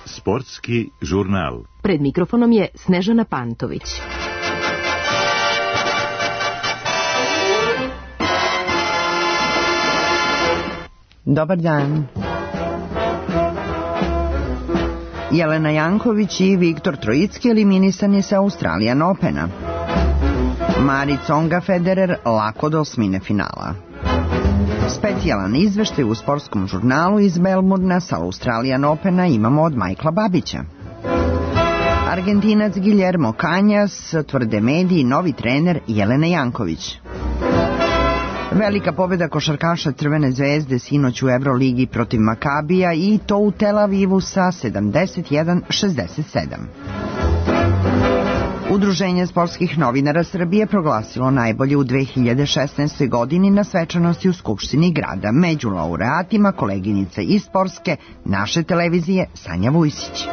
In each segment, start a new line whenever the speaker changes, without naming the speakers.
Sportski žurnal.
Pred mikrofonom je Snežana Pantović.
Dobar dan. Jelena Janković i Viktor Trojicki eliminisani sa Australian Opena. Mari Tsonga Federer lako do osmine finala. Specijalan izveštaj u sportskom žurnalu iz Melbourna sa Australian Opena imamo od Michaela Babića. Argentinac Guillermo Cañas, tvrde mediji, novi trener Jelene Janković. Velika pobjeda košarkaša Crvene zvezde sinoć u Euroligi protiv Makabija i to u Tel Avivu sa 71-67. Udruženje sportskih novinara Srbije proglasilo najbolje u 2016. godini na svečanosti u Skupštini grada. Među laureatima koleginica iz sportske naše televizije Sanja Vujsić.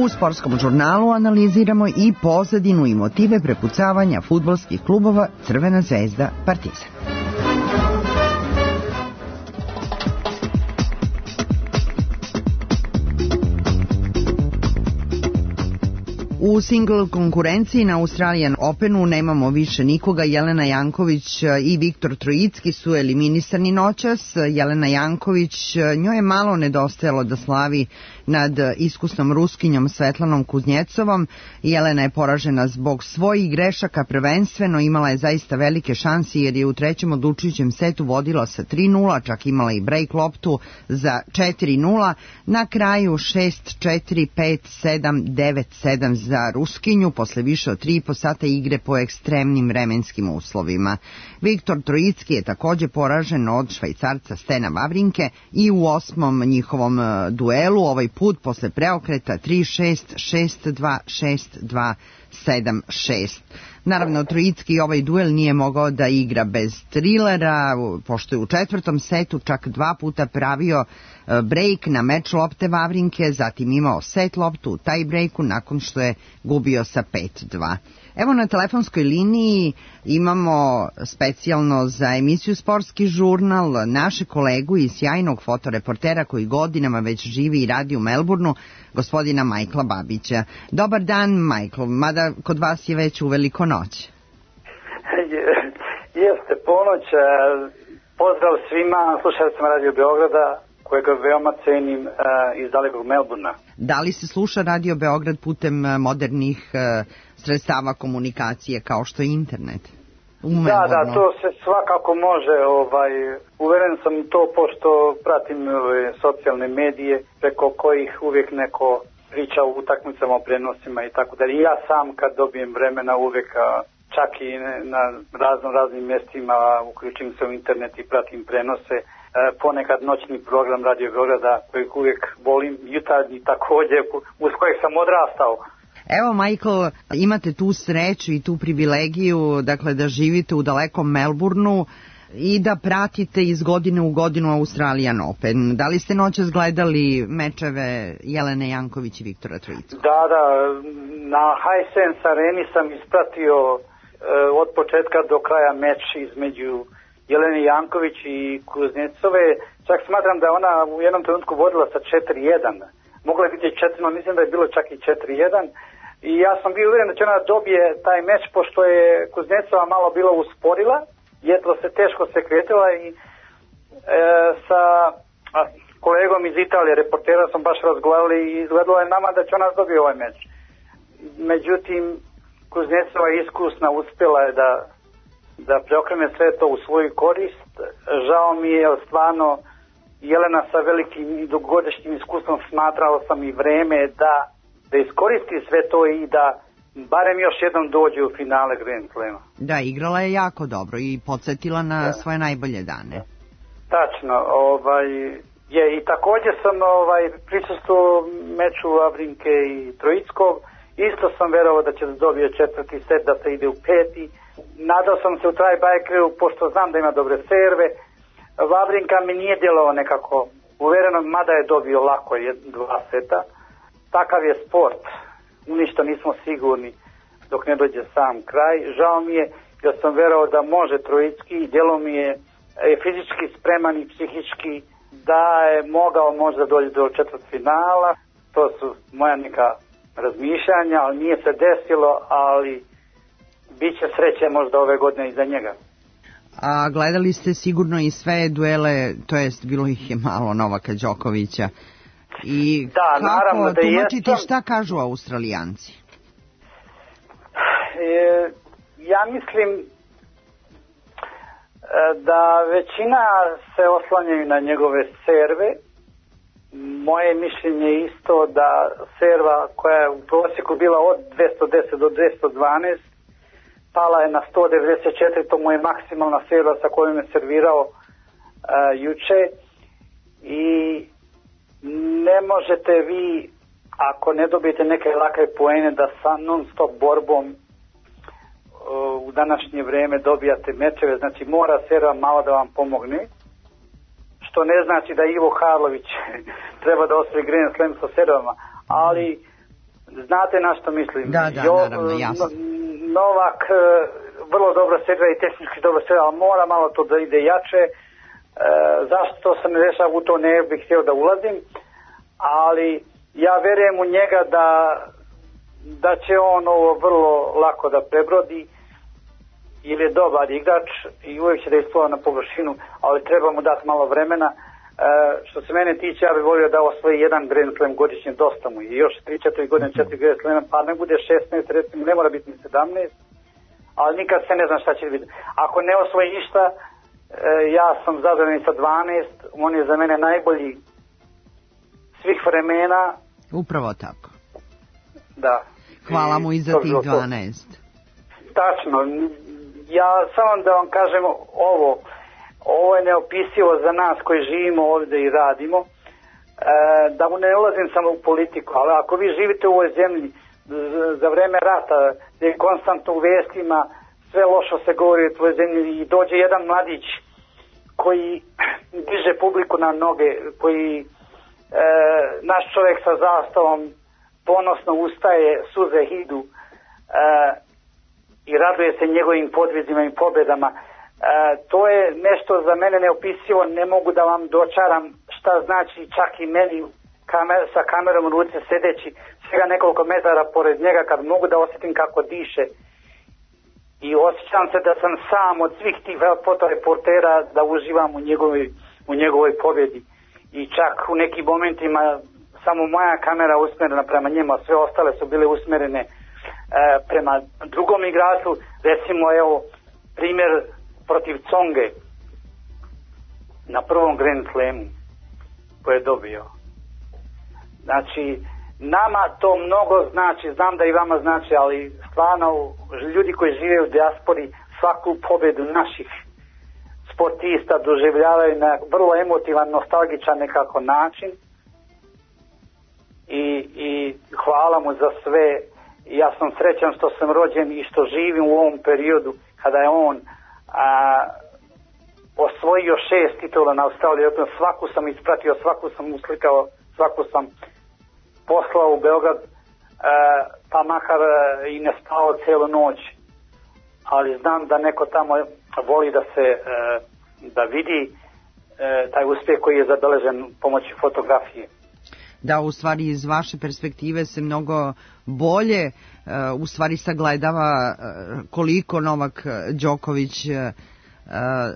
U sportskom žurnalu analiziramo i pozadinu i motive prepucavanja fudbalskih klubova Crvena zvezda Partizan. U singl konkurenciji na Australian Openu nemamo više nikoga. Jelena Janković i Viktor Trojicki su eliminisani noćas. Jelena Janković, njoj je malo nedostajalo da slavi nad iskusnom Ruskinjom Svetlanom Kuznjecovom. Jelena je poražena zbog svojih grešaka prvenstveno, imala je zaista velike šanse jer je u trećem odlučujućem setu vodila sa 3-0, čak imala i break loptu za 4-0. Na kraju 6-4, 5-7, 9-7 za Ruskinju posle više od 3,5 sata igre po ekstremnim vremenskim uslovima. Viktor Trojicki je također poražen od Švajcarca Stena Wawrinke i u osmom njihovom duelu, ovaj put posle preokreta 3-6, 6-2, 6-2, 7-6. Naravno, Trojicki ovaj duel nije mogao da igra bez trilera, pošto je u četvrtom setu čak 2 puta pravio break na meč lopte Wawrinke, zatim imao set loptu u taj breaku nakon što je gubio sa 5-2. Evo na telefonskoj liniji imamo specijalno za emisiju Sportski žurnal naše kolegu i sjajnog fotoreportera koji godinama već živi i radi u Melbourneu, gospodina Michaela Babića. Dobar dan, Michael, mada kod vas je već uveliko noć.
Jeste ponoć, pozdrav svima slušalicama Radio Beograda, kojega veoma cenim iz dalekog Melbourna.
Da li se sluša Radio Beograd putem modernih sredstava komunikacije kao što je internet?
Da, to se svakako može. Uveren sam to pošto pratim socijalne medije preko kojih uvijek neko priča o utakmicama, o prenosima i tako dalje. I ja sam kad dobijem vremena uvijek čak i na raznim mjestima uključim se u internet i pratim prenose. Ponekad noćni program Radio Beograda kojeg uvijek volim, jutarnji također uz kojeg sam odrastao.
Evo, Michael, imate tu sreću i tu privilegiju, dakle, da živite u dalekom Melbourneu i da pratite iz godine u godinu Australian Open. Da li ste noćas gledali mečeve Jelene Janković i Viktora Trojickog?
Da, na Hisense Areni sam ispratio od početka do kraja meč između Jelene Janković i Kuznecove. Čak smatram da je ona u jednom trenutku vodila sa 4-1. Mogla je biti 4-0, mislim da je bilo čak i 4-1. I ja sam bio uvjeren da će ona dobije taj meč, pošto je Kuznecova malo bila usporila, jedva se teško se kretila i sa kolegom iz Italije, reportera, sam baš razgovarali i izgledalo je nama da će ona dobije ovaj meč. Međutim, Kuznecova iskusna uspjela je da preokrene sve to u svoju korist. Žao mi je, stvarno, Jelena sa velikim i dugogodišnjim iskustvom, smatrao sam i vreme da iskoristi sve to i da barem još jednom dođe u finale Grand Slema.
Da, igrala je jako dobro i podsjetila na svoje najbolje dane.
Tačno, i također sam prisustvovao meču Wawrinke i Trojickog. Isto sam verovao da će da dobije četvrti set, da se ide u peti. Nadao sam se u tiebreakeru, pošto znam da ima dobre serve. Wawrinka mi nije djelovao nekako uvereno, mada je dobio lako 2 seta. Takav je sport, ništa nismo sigurni dok ne dođe sam kraj. Žao mi je ja sam verao da može Trojicki i djelo mi je fizički spreman i psihički da je mogao možda doći do četvrtfinala. To su moja neka razmišljanja, ali nije se desilo, ali bit će sreće možda ove godine i za njega.
A gledali ste sigurno i sve duele, to jest bilo ih je malo Novaka Đokovića. I
da,
kako
naravno da
tumačiti šta kažu Australijanci?
Ja mislim da većina se oslanjaju na njegove serve. Moje mišljenje je isto da serva koja je u prosjeku bila od 210 do 212 pala je na 194, to mu je maksimalna serva sa kojom je servirao juče i ne možete vi, ako ne dobijete neke lake poene, da sa non stop borbom u današnje vrijeme dobijate mečeve, znači mora serva malo da vam pomogne, što ne znači da Ivo Karlović treba da osvoji Grand Slam sa servama, ali znate na što mislim.
Da, naravno, jasno.
Novak vrlo dobro serva i tehnički dobro serva, ali mora malo to da ide jače. Zašto se ne dešava, u to ne bih htio da ulazim, ali ja verujem u njega da će on ovo vrlo lako da prebrodi, ili je dobar igrač i uvijek će da isplova na površinu, ali treba mu dati malo vremena. Što se mene tiče, ja bih volio da osvoji jedan Grand Slam godišnje, dosta mu i još 3-4 godine 4 Grand Slama, pa ne bude 16, recimo, ne mora biti ni 17, ali nikad se ne znam šta će biti. Ako ne osvoji ništa, ja sam zadovoljan sa 12, on je za mene najbolji svih vremena. Upravo tako. Da.
Hvala mu i za tih 12.
Tačno. Ja samo da vam kažem ovo je neopisivo za nas koji živimo ovdje i radimo, da ne ulazim samo u politiku, ali ako vi živite u ovoj zemlji za vreme rata, gdje je konstantno u vestima, sve lošo se govori o tvojoj zemlji i dođe jedan mladić koji diže publiku na noge, koji naš čovjek sa zastavom ponosno ustaje, suze idu i raduje se njegovim podvizima i pobjedama. To je nešto za mene neopisivo, ne mogu da vam dočaram šta znači čak i meni sa kamerom u ruci sedeći svega nekoliko metara pored njega, kad mogu da osjetim kako diše i osjećam se da sam sam od svih tih fotoreportera, da uživam u njegovoj pobjedi i čak u nekim momentima samo moja kamera usmjerena prema njima, sve ostale su bile usmjerene prema drugom igraču. Recimo evo primjer protiv Tsonge na prvom Grand Slamu koje je dobio. Znači nama to mnogo znači, znam da i vama znači, ali stvarno ljudi koji žive u dijaspori svaku pobjedu naših sportista doživljavaju na vrlo emotivan, nostalgičan nekako način i hvala mu za sve. Ja sam srećan što sam rođen i što živim u ovom periodu kada je on osvojio 6 titula na Australiji Open. Svaku sam ispratio, svaku sam uslikao, svaku sam poslao u Beograd, pa makar i ne spao cijelu noć, ali znam da neko tamo voli da se da vidi taj uspjeh koji je zabeležen pomoću fotografije.
Da, u stvari iz vaše perspektive se mnogo bolje u stvari sagledava koliko Novak Đoković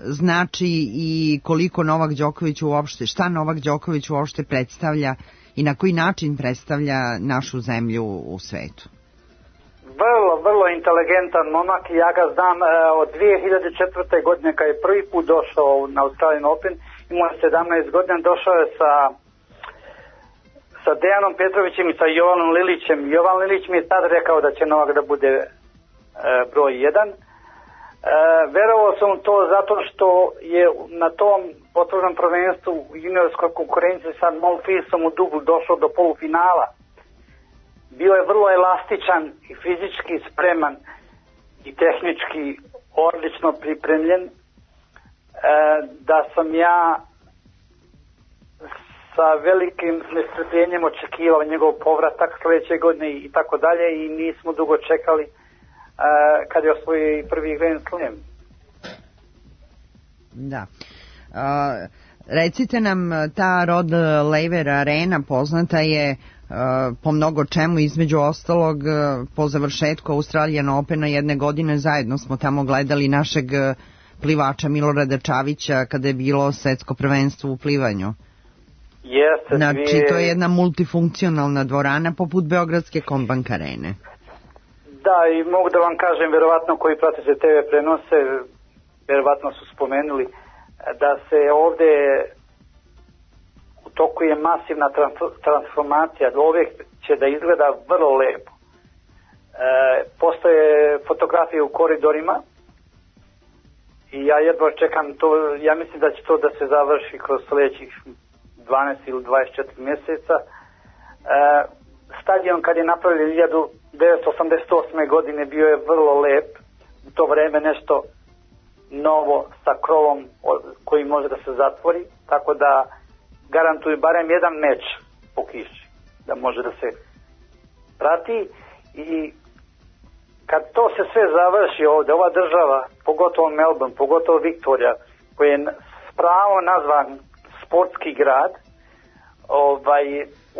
znači i koliko Novak Đoković uopšte, šta Novak Đoković uopšte predstavlja i na koji način predstavlja našu zemlju u svetu.
Vrlo inteligentan momak, ja ga znam od 2004. godine kad je prvi put došao na Australian Open, imao je 17 godina, došao je sa Dejanom Petrovićem i sa Jovanom Lilićem. Jovan Lilić mi je tad rekao da će Novak da bude broj 1. Verovao sam to zato što je na tom otvorenom prvenstvu u juniorskoj konkurenciji sa Monfilsom u dublu došao do polufinala. Bio je vrlo elastičan i fizički spreman i tehnički odlično pripremljen, da sam ja sa velikim nestrpljenjem očekivao njegov povratak sljedeće godine i tako dalje i nismo dugo čekali. kad je osvojio prvi Grand Slam.
Da. Recite nam, ta Rod Laver Arena poznata je po mnogo čemu, između ostalog po završetku Australian Opena jedne godine zajedno smo tamo gledali našeg plivača Milorada Čavića kada je bilo svetsko prvenstvo u plivanju.
Jeste,
znači to je jedna multifunkcionalna dvorana poput Beogradske Kombank Arene.
Da, i mogu da vam kažem, verovatno koji pratite TV prenose, verovatno su spomenuli da se ovde u toku je masivna transformacija, uvijek će da izgleda vrlo lepo. Postoje fotografije u koridorima i ja jedva čekam to, ja mislim da će to da se završi kroz sljedećih 12 ili 24 mjeseca. Stadion kad je napravljen 1988. godine bio je vrlo lep, u to vreme nešto novo sa krovom koji može da se zatvori, tako da garantuju barem jedan meč po kiši da može da se prati. I kad to se sve završi ovdje, ova država, pogotovo Melbourne, pogotovo Viktorija, koji je s pravom nazvan sportski grad,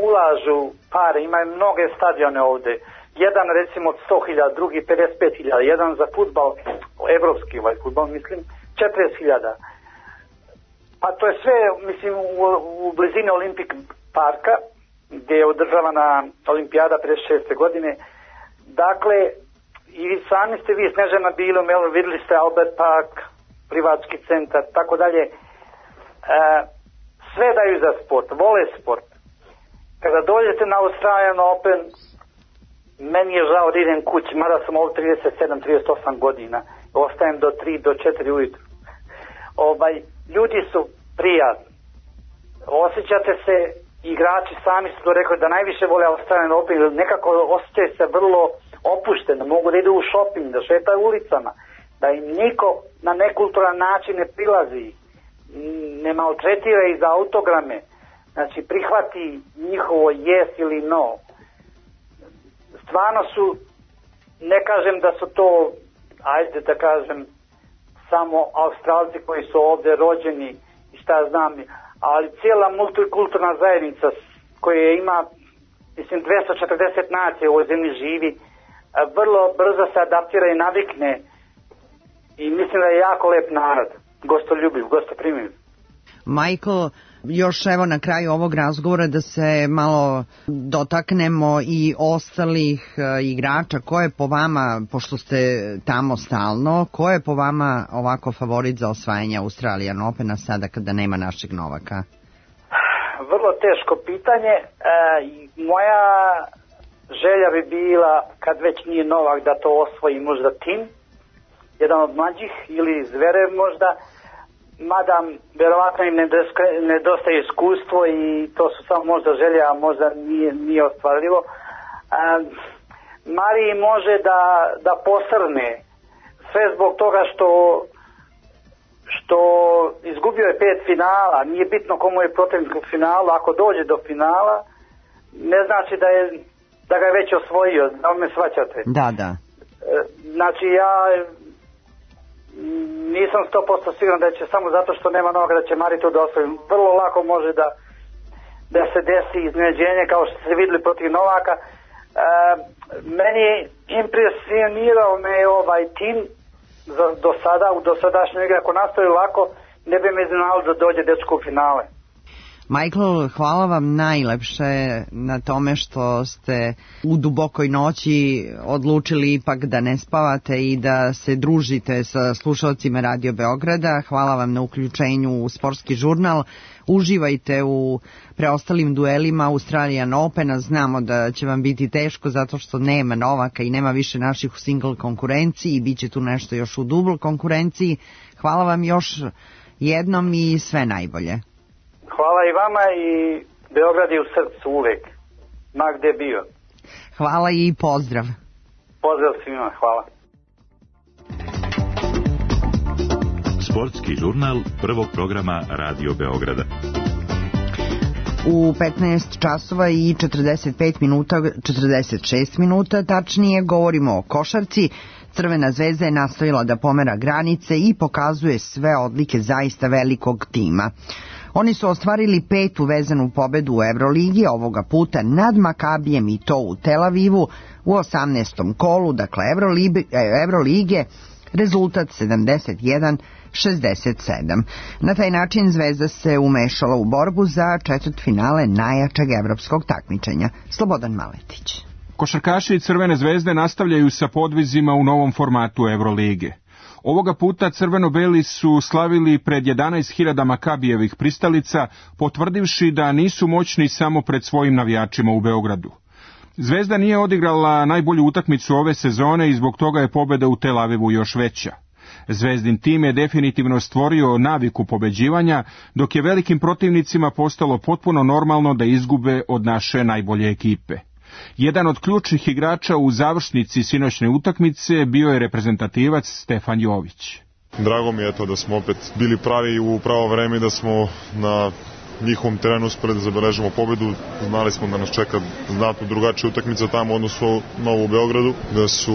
ulažu pare, imaju mnoge stadione ovdje, jedan recimo od 100.000, drugi 55.000, jedan za fudbal, evropski fudbal mislim, 40.000. Pa to je sve, mislim, u blizini Olimpik parka, gdje je održavana olimpijada 56. godine. Dakle, i sami ste vi, Snežana, bili u Melbourne, vidjeli ste Albert Park, plivački centar, tako dalje. Sve daju za sport, vole sport. Kada dođete na Australian Open, meni je žao da idem kući, mada sam ovdje 37-38 godina, ostajem do 3, do 4 ujutru. Ljudi su prijatni. Osjećate se, igrači sami su to rekli da najviše vole Australian Open, nekako osjećaju se vrlo opušteno, mogu da idu u shopping, da šetaju ulicama, da im niko na nekulturan način ne prilazi, ne maltretira ih za autograme, znači prihvati njihovo yes ili no. Stvarno su, ne kažem da su to, ajde da kažem, samo Australci koji su ovdje rođeni i šta znam, ali cijela multikulturna zajednica koja ima, mislim, 240 nacija u ovoj zemlji živi, vrlo brzo se adaptira i navikne i mislim da je jako lep narod, gostoljubiv, gostoprimiv.
Michael, još evo na kraju ovog razgovora da se malo dotaknemo i ostalih igrača. Ko je po vama, pošto ste tamo stalno, ko je po vama ovako favorit za osvajanje Australian Opena sada kada nema našeg Novaka?
Vrlo teško pitanje. Moja želja bi bila, kad već nije Novak, da to osvoji možda Tim, jedan od mlađih, ili Zverev možda, mada verovatno im nedostaje iskustvo i to su samo možda želje, a možda nije ostvarljivo. Mariji može da posrne, sve zbog toga što izgubio je 5 finala, nije bitno komu je protivnik u finalu, ako dođe do finala, ne znači da ga je već osvojio, da me shvaćate.
Da.
Znači ja nisam 100% siguran da će samo zato što nema Novaka da će Mari to da osvoji. Vrlo lako može da se desi iznenađenje kao što ste vidjeli protiv Novaka. Meni impresionirao me ovaj tim do sada, u dosadašnjoj igri. Ako nastavi lako, ne bi me iznenadilo da dođe dečko u finale.
Michael, hvala vam najlepše na tome što ste u dubokoj noći odlučili ipak da ne spavate i da se družite sa slušalcima Radio Beograda. Hvala vam na uključenju u sportski žurnal. Uživajte u preostalim duelima Australian Opena. Znamo da će vam biti teško zato što nema Novaka i nema više naših u single konkurenciji i bit će tu nešto još u double konkurenciji. Hvala vam još jednom i sve najbolje.
Hvala i vama i Beograd je u srcu uvek, ma gde bio.
Hvala i pozdrav.
Pozdrav svima, hvala.
Sportski žurnal prvog programa Radio Beograda.
U 15 časova i 45 minuta, 46 minuta, tačnije govorimo o košarci. Crvena zvezda je nastojala da pomera granice i pokazuje sve odlike zaista velikog tima. Oni su ostvarili 5. vezanu pobedu u Evroligi, ovoga puta nad Makabijem i to u Tel Avivu u 18. kolu, dakle Evrolige, rezultat 71-67. Na taj način Zvezda se umešala u borbu za četvrtfinale najjačeg evropskog takmičenja. Slobodan Maletić.
Košarkaši Crvene zvezde nastavljaju sa podvizima u novom formatu Evrolige. Ovoga puta crveno-beli su slavili pred 11.000 Makabijevih pristalica, potvrdivši da nisu moćni samo pred svojim navijačima u Beogradu. Zvezda nije odigrala najbolju utakmicu ove sezone i zbog toga je pobjeda u Tel Avivu još veća. Zvezdin tim je definitivno stvorio naviku pobeđivanja, dok je velikim protivnicima postalo potpuno normalno da izgube od naše najbolje ekipe. Jedan od ključnih igrača u završnici sinoćne utakmice bio je reprezentativac Stefan Jović.
Drago mi je to da smo opet bili pravi u pravo vreme, da smo na njihovom terenu uspeli da zabeležimo pobedu. Znali smo da nas čeka znatno drugačija utakmica tamo u odnosu na ovu u Beogradu, da su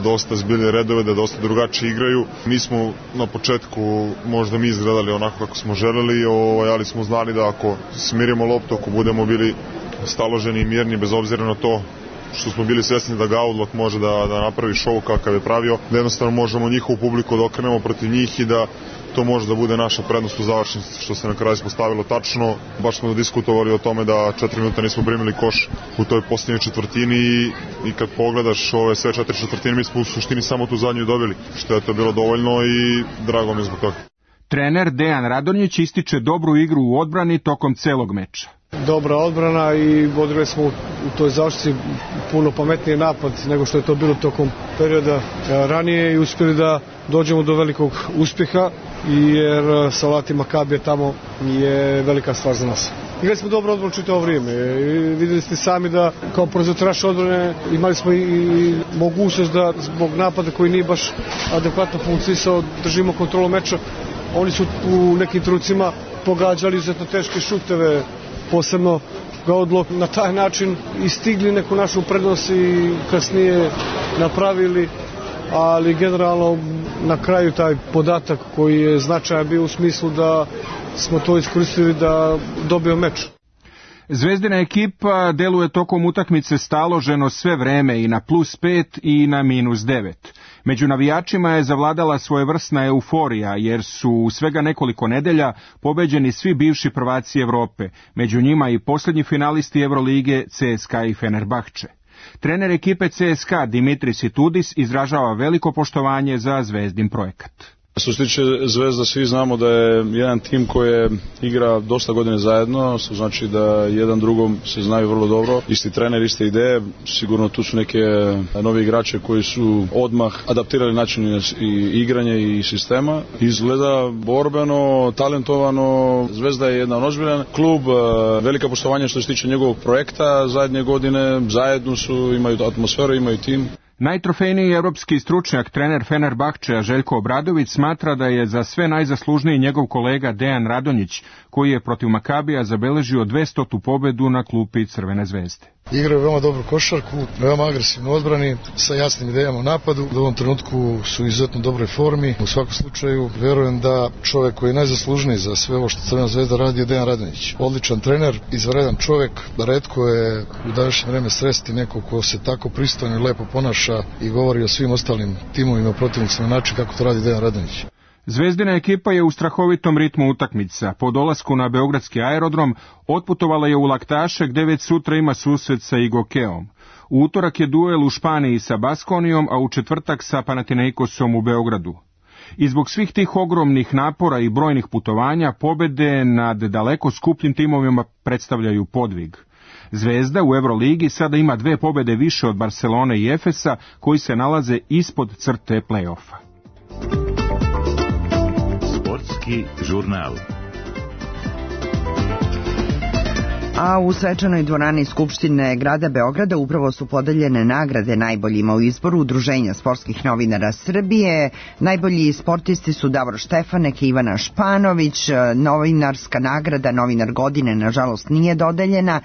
dosta zbiljne redove, da dosta drugačije igraju. Nismo na početku možda mi izgledali onako kako smo želeli, ali smo znali da ako smirimo loptu, ako budemo bili staloženi i mirni bez obzira na to što smo bili svjesni da Gaudlok može da napravi šou kakav je pravio, da jednostavno možemo njihovu publiku da okrenemo protiv njih i da to može da bude naša prednost u završnici, što se na kraju ispostavilo tačno. Baš smo diskutovali o tome da 4 minuta nismo primili koš u toj posljednjoj četvrtini i kad pogledaš ove sve 4 četvrtine, mi smo u suštini samo tu zadnju dobili, što je to bilo dovoljno i drago mi je zbog toga.
Trener Dejan Radonjić ističe dobru igru u odbrani tokom celog meča.
Dobra odbrana i odigrali smo u toj završnici puno pametniji napad nego što je to bilo tokom perioda ranije i uspjeli da dođemo do velikog uspjeha, jer sa Lati Makabija tamo je velika stvar za nas. Igrali smo dobro odbranu čitavo vrijeme. Vidjeli ste sami da kao proizvođač odbrane imali smo i mogućnost da zbog napada koji nije baš adekvatno funkcionisao držimo kontrolu meča. Oni su u nekim trenucima pogađali izuzetno teške šuteve, posebno Gaudlok, na taj način istigli neku našu prednost i kasnije napravili, ali generalno na kraju taj podatak koji je značajan bio u smislu da smo to iskoristili da dobijemo meč.
Zvezdina ekipa deluje tokom utakmice staloženo sve vreme i na +5 i na -9. Među navijačima je zavladala svojevrsna euforija, jer su u svega nekoliko nedelja pobeđeni svi bivši prvaci Evrope, među njima i posljednji finalisti Evrolige CSKA i Fenerbahče. Trener ekipe CSKA Dimitris Itudis izražava veliko poštovanje za Zvezdin projekat.
Što se tiče Zvezda, svi znamo da je jedan tim koji igra dosta godine zajedno, što znači da jedan drugom se znaju vrlo dobro, isti trener, iste ideje, sigurno tu su neke novi igrače koji su odmah adaptirali način igranja i sistema. Izgleda borbeno, talentovano, Zvezda je jedan ozbiljan klub, velika poštovanja što se tiče njegovog projekta zadnje godine, zajedno su, imaju atmosferu, imaju tim.
Najtrofejniji evropski stručnjak, trener Fenerbahčeja Željko Obradović, smatra da je za sve najzaslužniji njegov kolega Dejan Radonjić, koji je protiv Makabija zabeležio 200. pobedu na klupi Crvene zvezde.
Igraju veoma dobru košarku, veoma agresivno odbrani, sa jasnim idejama u napadu. U ovom trenutku su u izuzetno dobroj formi. U svakom slučaju, verujem da čovjek koji je najzaslužniji za sve ovo što Crvena zvezda radi je Dejan Radonjić. Odličan trener, izvanredan čovjek, retko je u današnje vreme sresti neko ko se tako pristojno i lepo ponaša i govori o svim ostalim timovima protivnicima na način kako to radi Dejan Radonjić.
Zvezdina ekipa je u strahovitom ritmu utakmica. Po dolasku na beogradski aerodrom otputovala je u Laktaše, gdje već sutra ima susret sa Igokeom. U utorak je duel u Španiji sa Baskonijom, a u četvrtak sa Panathinaikosom u Beogradu. I zbog svih tih ogromnih napora i brojnih putovanja, pobede nad daleko skupljim timovima predstavljaju podvig. Zvezda u Evroligi sada ima 2 pobede više od Barcelone i Efesa, koji se nalaze ispod crte play-offa.
Žurnal.
A u svečanoj dvorani Skupštine grada Beograda upravo su podeljene nagrade najboljima u izboru Udruženja sportskih novinara Srbije. Najbolji sportisti su Davor Štefanek i Ivana Španović. Novinarska nagrada Novinar godine nažalost nije dodeljena.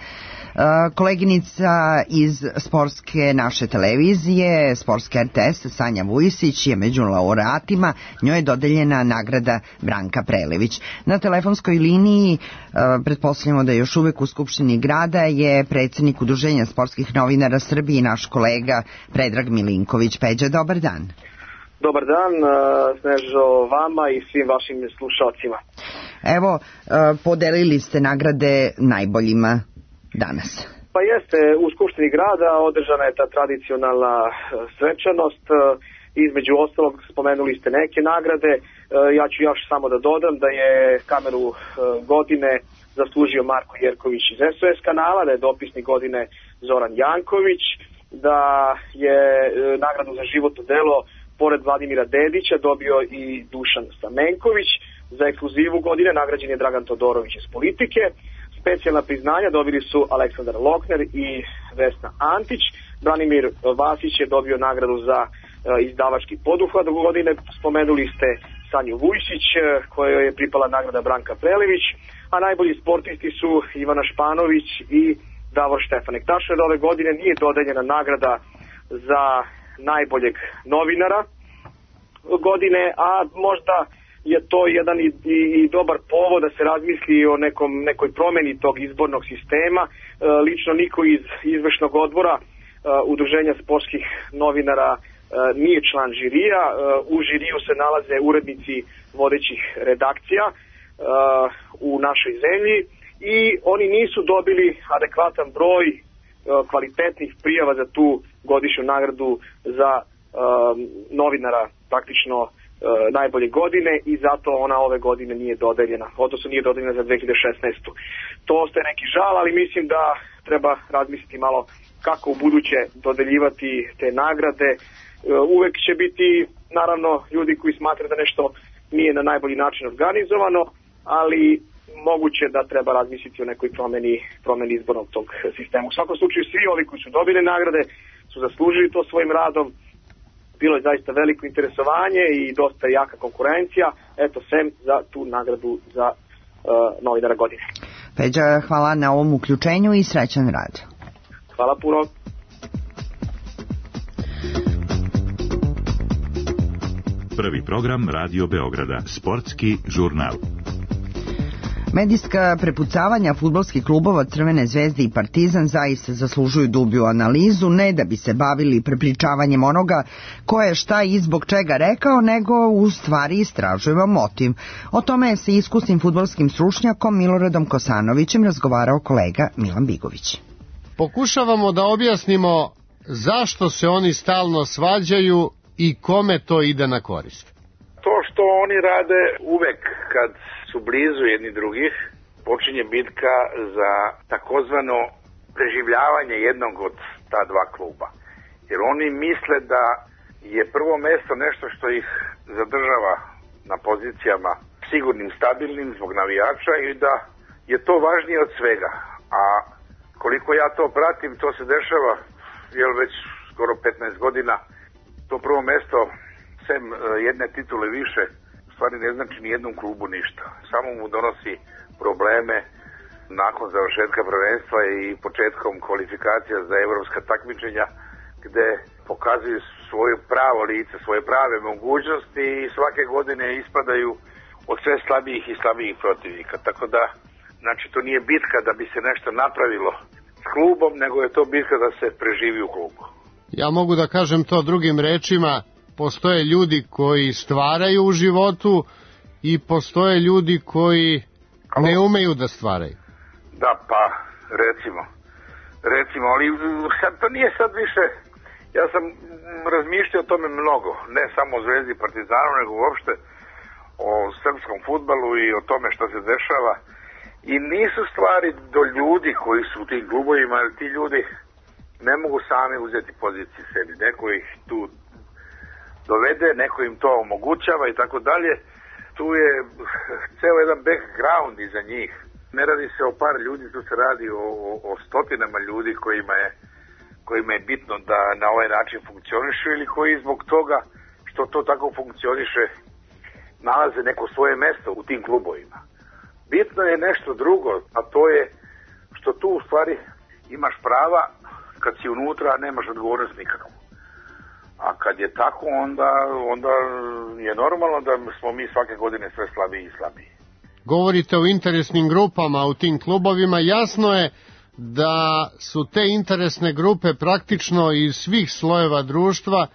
Koleginica iz sportske naše televizije, sportske RTS, Sanja Vujisić je među laureatima, njoj je dodeljena nagrada Branka Prelević. Na telefonskoj liniji, pretpostavljamo da je još uvek u Skupštini grada, je predsjednik Udruženja sportskih novinara Srbije i naš kolega Predrag Milinković. Peđa, dobar dan.
Dobar dan, Snežo, vama i svim vašim slušalcima.
Evo, podelili ste nagrade najboljima danas.
Pa jeste, u Skupštini grada održana je ta tradicionalna svečanost. Između ostalog spomenuli ste neke nagrade. Ja ću još samo da dodam da je kameru godine zaslužio Marko Jerković iz SOS kanala, da je dopisnik godine Zoran Janković, da je nagradu za životno delo pored Vladimira Dedića dobio i Dušan Stamenković. Za ekskluzivu godine nagrađen je Dragan Todorović iz Politike. Specijalna priznanja dobili su Aleksandar Lokner i Vesna Antić. Branimir Vasić je dobio nagradu za izdavački poduhvat godine. Spomenuli ste Sanju Vujsić, kojoj je pripala nagrada Branka Prelević, a najbolji sportisti su Ivana Španović i Davor Štefanek. Tačno je da ove godine nije dodeljena nagrada za najboljeg novinara godine, a možda je to jedan i dobar povod da se razmisli o nekoj promeni tog izbornog sistema. Lično niko iz izvršnog odbora Udruženja sportskih novinara nije član žirija. U žiriju se nalaze urednici vodećih redakcija u našoj zemlji i oni nisu dobili adekvatan broj kvalitetnih prijava za tu godišnju nagradu za novinara, praktično najbolje godine, i zato ona ove godine nije dodeljena, odnosno nije dodeljena za 2016. To ostaje neki žal, ali mislim da treba razmisliti malo kako u buduće dodeljivati te nagrade. Uvek će biti, naravno, ljudi koji smatraju da nešto nije na najbolji način organizovano, ali moguće da treba razmisliti o nekoj promeni izbornog tog sistema. U svakom slučaju svi ovi koji su dobili nagrade su zaslužili to svojim radom. Bilo je zaista veliko interesovanje i dosta jaka konkurencija. Eto, sem za tu nagradu za novinara godine.
Peđa, hvala na ovom uključenju i srećan rad.
Hvala puno.
Prvi program Radio Beograda, sportski žurnal.
Medijska prepucavanja fudbalskih klubova Crvene zvezde i Partizan zaista zaslužuju dublju analizu, ne da bi se bavili prepričavanjem onoga ko je šta i zbog čega rekao, nego u stvari istražujemo motiv. O tome je sa iskusnim fudbalskim stručnjakom Miloradom Kosanovićem razgovarao kolega Milan Bigović.
Pokušavamo da objasnimo zašto se oni stalno svađaju i kome to ide na korist.
To što oni rade uvek kad su blizu jedni drugih, počinje bitka za takozvano preživljavanje jednog od ta dva kluba. Jer oni misle da je prvo mesto nešto što ih zadržava na pozicijama sigurnim, stabilnim zbog navijača i da je to važnije od svega. A koliko ja to pratim, to se dešava već skoro 15 godina. To prvo mesto, sem jedne titule više, u stvari ne znači ni jednom klubu ništa. Samo mu donosi probleme nakon završetka prvenstva i početkom kvalifikacija za evropska takmičenja, gde pokazuju svoje pravo lice, svoje prave mogućnosti i svake godine ispadaju od sve slabijih i slabijih protivnika. Tako da, znači, to nije bitka da bi se nešto napravilo s klubom, nego je to bitka da se preživi u klubu.
Ja mogu da kažem to drugim rečima, postoje ljudi koji stvaraju u životu i postoje ljudi koji ne umeju da stvaraju.
Da, pa, recimo, ali sad to nije sad više, ja sam razmišljao o tome mnogo, ne samo o Zvezdi i Partizanu, nego uopšte o srpskom fudbalu i o tome što se dešava. I nisu stvari do ljudi koji su u tim klubovima, ali ti ljudi ne mogu sami uzeti pozicije sebi. Neko ih tu dovede, neko im to omogućava i tako dalje. Tu je ceo jedan background iza njih. Ne radi se o par ljudi, tu se radi o stotinama ljudi kojima je bitno da na ovaj način funkcionišu ili koji zbog toga što to tako funkcioniše nalaze neko svoje mesto u tim klubovima. Bitno je nešto drugo, a to je što tu u stvari imaš prava, kad si unutra nemaš odgovornost nikakvu. A kad je tako, onda je normalno da smo mi svake godine sve slabiji i slabiji.
Govorite o interesnim grupama u tim klubovima, jasno je da su te interesne grupe praktično iz svih slojeva društva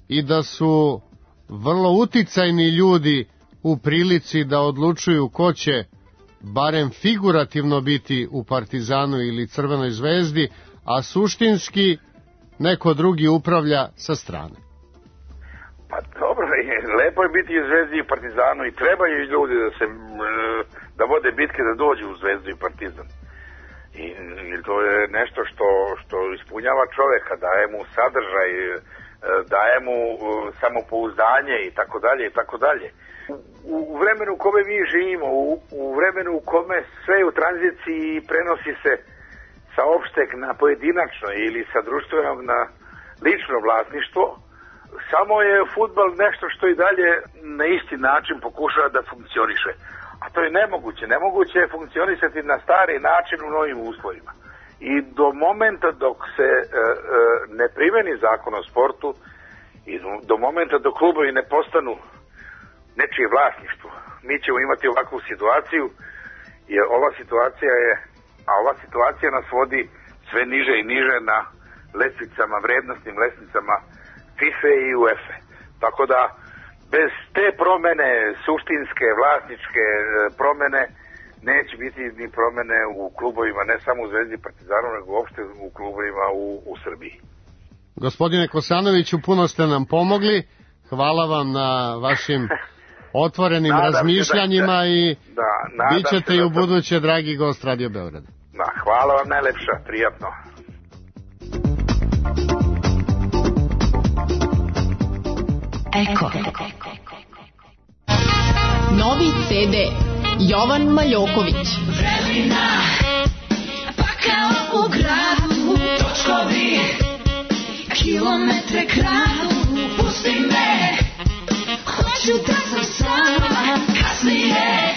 i da su vrlo uticajni ljudi u prilici da odlučuju ko će barem figurativno biti u Partizanu ili Crvenoj zvezdi, a suštinski neko drugi upravlja sa strane.
Pa dobro, lepo je biti u Zvezdi i Partizanu i trebaju ljudi da vode bitke da dođu u Zvezdu i Partizan. I to je nešto što ispunjava čoveka, daje mu sadržaj, daje mu samopouzdanje i tako dalje i tako dalje. U vremenu u kome mi živimo, u vremenu u kome sve je u tranziciji i prenosi se sa opšteg na pojedinačno ili sa društvenog na lično vlasništvo, samo je fudbal nešto što i dalje na isti način pokušava da funkcioniše. A to je nemoguće. Nemoguće je funkcionisati na stari način u novim uslovima. I do momenta dok se ne primeni zakon o sportu i do momenta dok klubovi ne postanu nečije vlasništvo, mi ćemo imati ovakvu situaciju, jer ova situacija nas vodi sve niže i niže na lestvicama, vrednostnim lestvicama FIFA i UEFA. Tako da bez te promene, suštinske, vlasničke promene, neće biti ni promene u klubovima, ne samo u Zvezdi i Partizanu, nego uopšte u klubovima u Srbiji.
Gospodine Kosanoviću, puno ste nam pomogli. Hvala vam na vašim otvorenim razmišljanjima i bit ćete i u buduće dragi gost Radio Beograda.
Hvala vam najlepša, prijatno.
Eko. Novi CD Jovan Maljoković.
Vrelina, pa kao u gradu, točkovi, kilometre kradu, pusti me, hoću da sam sama, kasnije,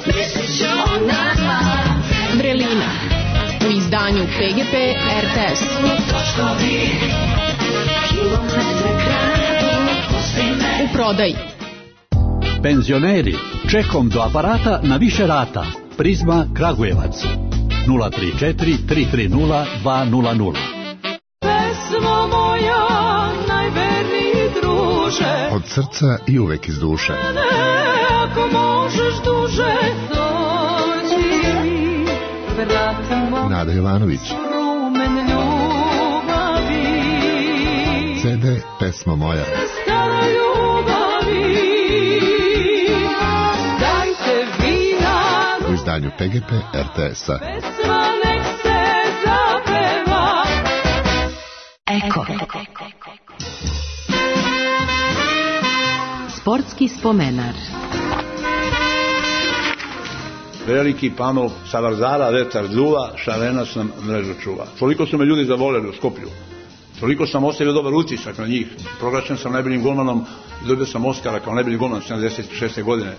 mislit ću o nama.
Vrelina, u izdanju PGP RTS.
Točkovi, kilometre kradu, pusti me.
U prodaji.
Penzioneri, čekom do aparata na više rata. Prizma Kragujevac 034 330 200.
Pesmo moja, najverniji druže,
od srca i uvek iz duše.
Ako možeš duže, dođi mi, vratimo
Nada Jovanović.
rumen ljubavi.
CD Pesma moja.
Stara ljubavi, dajte vina,
U izdanju PGP RTS-a.
pesma nek se zapeva.
Eko. Sportski spomenar.
Veliki panov sa Vardara vetar duva, Šarenac nam mrežu čuva. Toliko su me ljudi zavoleli u Skoplju. Toliko sam ostavio dobar utisak na njih. Proglašen sam najboljim golmanom i dobio sam Oskara kao najbolji golman 76. godine.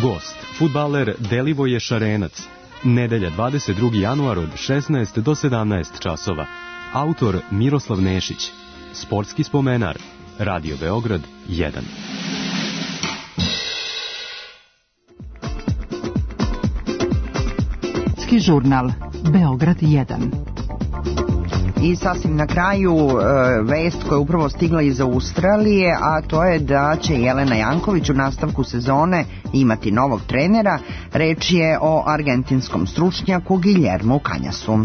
Gost, fudbaler Delivoje Šarenac. Nedelja 22. januar od 16 do 17 časova. Autor Miroslav Nešić. Sportski spomenar. Radio Beograd 1.
Sportski žurnal Beograd 1. I sasvim na kraju vest koja je upravo stigla iz Australije, a to je da će Jelena Janković u nastavku sezone imati novog trenera. Reč je o argentinskom stručnjaku Guillermu Canjasu.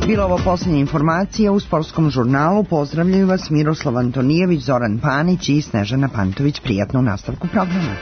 Bila ovo posljednja informacija u sportskom žurnalu. Pozdravljaju vas Miroslav Antonijević, Zoran Panić i Snežana Pantović. Prijatno u nastavku programa.